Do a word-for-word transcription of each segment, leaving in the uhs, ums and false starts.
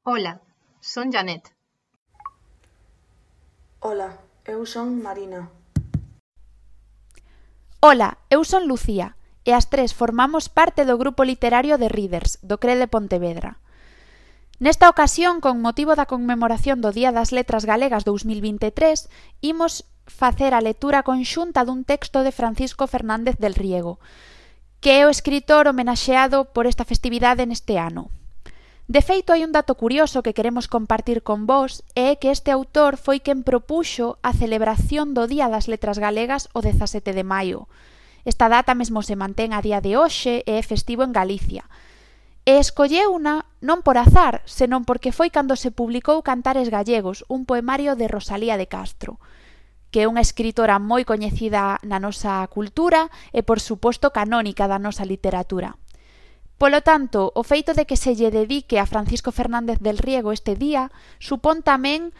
Ola, son Janet. Ola, eu son Marina. Ola, eu son Lucía, e as tres formamos parte do grupo literario de Readers, do C R E de Pontevedra. Nesta ocasión, con motivo da conmemoración do Día das Letras Galegas dous mil vinte e tres, imos facer a lectura conxunta dun texto de Francisco Fernández del Riego, que é o escritor homenaxeado por esta festividade neste ano. De feito, hai un dato curioso que queremos compartir con vós, e é que este autor foi quen propuxo a celebración do Día das Letras Galegas o dezasete de maio. Esta data mesmo se mantén a día de hoxe e é festivo en Galicia. E escolleuna non por azar, senón porque foi cando se publicou Cantares Gallegos, un poemario de Rosalía de Castro, que é unha escritora moi coñecida na nosa cultura e, por suposto, canónica da nosa literatura. Polo tanto, o feito de que se lle dedique a Francisco Fernández del Riego este día supón tamén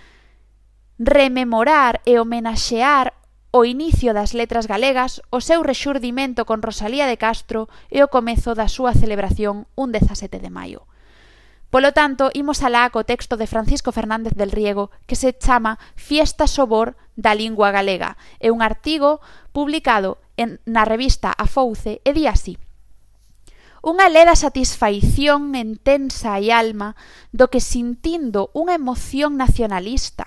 rememorar e homenaxear o inicio das letras galegas, o seu rexurdimento con Rosalía de Castro e o comezo da súa celebración un dezasete de maio. Polo tanto, imos alá co texto de Francisco Fernández del Riego que se chama Fiesta Sobor da Lingua Galega. É un artigo publicado en, na revista A Fouce e di así: unha leda satisfaición intensa e alma do que sintindo unha emoción nacionalista,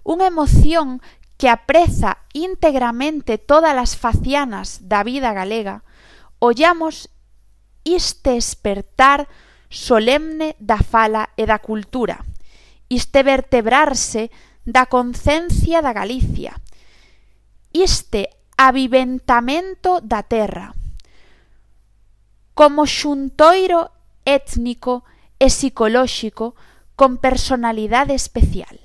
unha emoción que apreza íntegramente todas as facianas da vida galega, ollamos iste espertar solemne da fala e da cultura, iste vertebrarse da concencia da Galicia, iste aviventamento da terra, como xuntoiro étnico e psicolóxico con personalidade especial.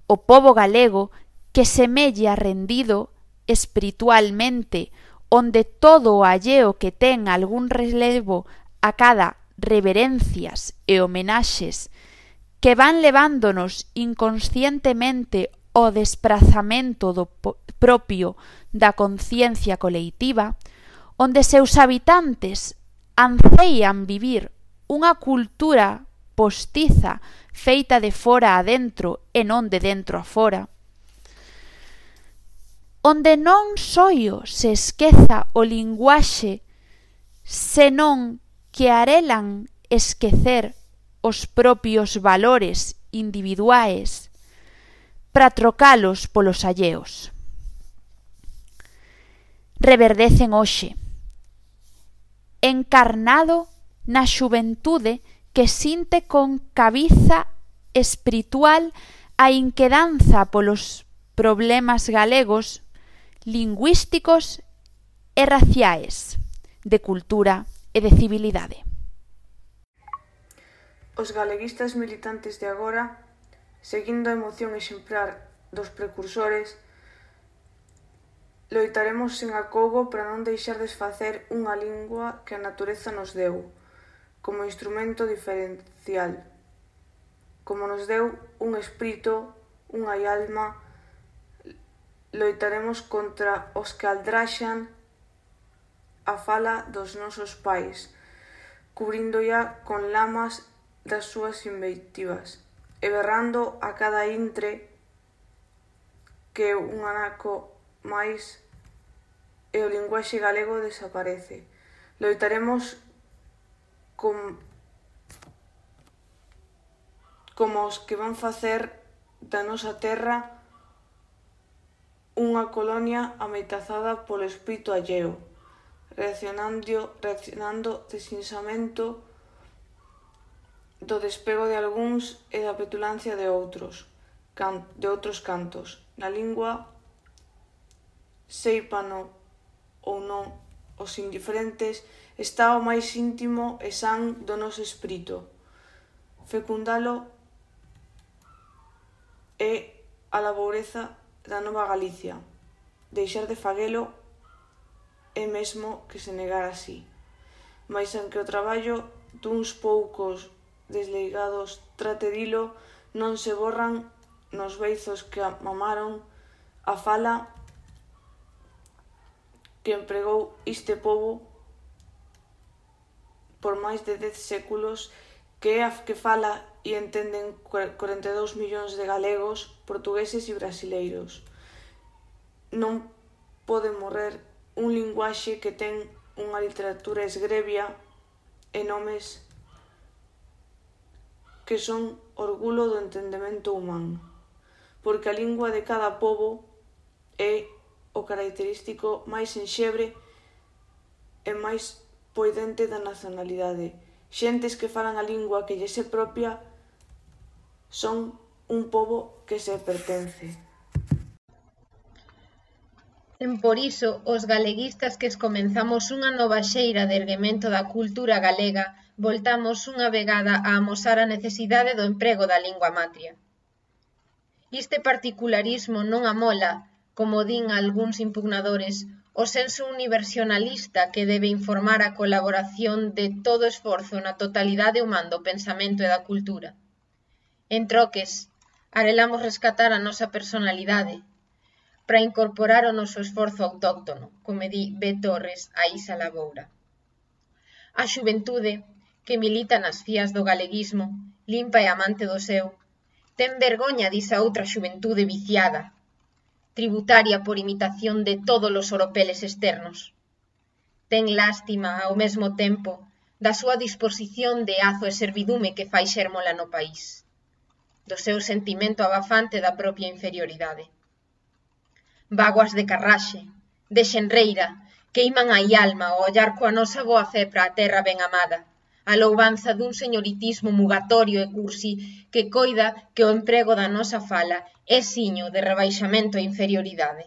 O pobo galego que semella rendido espiritualmente, onde todo o alleo que ten algún relevo a cada reverencias e homenaxes que van levándonos inconscientemente ao desprazamento do propio da conciencia coleitiva, onde seus habitantes anseian vivir unha cultura postiza feita de fora a dentro e non de dentro a fora, onde non soio se esqueza o linguaxe, senón que arelan esquecer os propios valores individuais para trocalos polos alleos. Reverdecen hoxe, encarnado na xuventude que sinte con cabiza espiritual a inquedanza polos problemas galegos, lingüísticos e raciais, de cultura e de civilidade. Os galeguistas militantes de agora, seguindo a emoción exemplar dos precursores, loitaremos sen acougo para non deixar desfacer unha lingua que a natureza nos deu, como instrumento diferencial, como nos deu un espírito, unha alma. Loitaremos contra os que aldraxan a fala dos nosos pais, cubríndolla con lamas das súas invectivas, e berrando a cada intre que un anaco máis e o linguaxe galego desaparece. Loitaremos con, como os que van facer da nosa terra unha colonia ameazada polo espírito alleo, reaccionando, reaccionando desinsamento do despego de algúns e da petulancia de outros, can, de outros cantos. Na lingua, seipano ou non os indiferentes, está o máis íntimo e san do noso espírito. Fecundalo é a laboureza da nova Galicia. Deixar de faguelo é mesmo que se negar así. Mais aunque o traballo duns poucos desleigados trate dilo, non se borran nos beizos que mamaron a fala que empregou este pobo por máis de dez séculos que é a que fala e entenden corenta e dous millóns de galegos, portugueses e brasileiros. Non pode morrer un linguaxe que ten unha literatura esgrebia e nomes que son orgullo do entendemento humano, porque a lingua de cada pobo é o característico máis enxebre e máis poidente da nacionalidade. Xentes que falan a lingua que lle é propia son un pobo que se pertence. Por iso, os galeguistas que comenzamos unha nova xeira de erguemento da cultura galega, voltamos unha vegada a amosar a necesidade do emprego da lingua matria. Este particularismo non amola, como din algúns impugnadores, o senso universalista que debe informar a colaboración de todo esforzo na totalidade humana do pensamento e da cultura. En troques, arelamos rescatar a nosa personalidade, para incorporar o noso esforzo autóctono, como di B. Torres a Isa Laboura. A xuventude, que milita nas fías do galeguismo, limpa e amante do seu, ten vergoña disa outra xuventude viciada, tributaria por imitación de todos os oropeles externos. Ten lástima, ao mesmo tempo, da súa disposición de azo e servidume que fai xérmola no país, do seu sentimento abafante da propia inferioridade. Vaguas de carraxe, de xenreira, queiman a alma ao ollar coa nosa boa fe para a terra ben amada, a louvanza dun señoritismo mugatorio e cursi que coida que o emprego da nosa fala é siño de rebaixamento e inferioridade.